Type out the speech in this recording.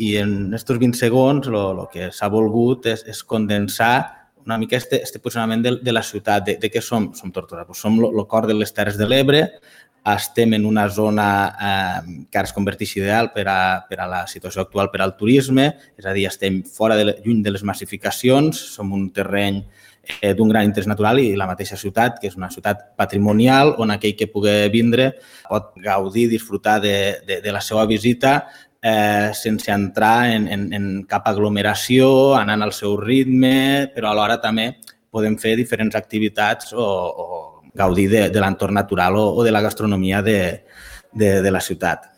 I en aquests 20 segons el que s'ha volgut és condensar una mica este posicionament de la ciutat, de què som Tortosa. Som el cor de les Terres de l'Ebre, estem en una zona que ara es converteix ideal per a la situació actual per al turisme, és a dir, estem lluny de les massificacions, som un terreny d'un gran interès natural i la mateixa ciutat, que és una ciutat patrimonial, on aquell que pugui vindre pot gaudir, disfrutar de la seva visita sense entrar en cap aglomeració, anant al seu ritme, però alhora també podem fer diferents activitats o gaudir de l'entorn natural o de la gastronomia de la ciutat.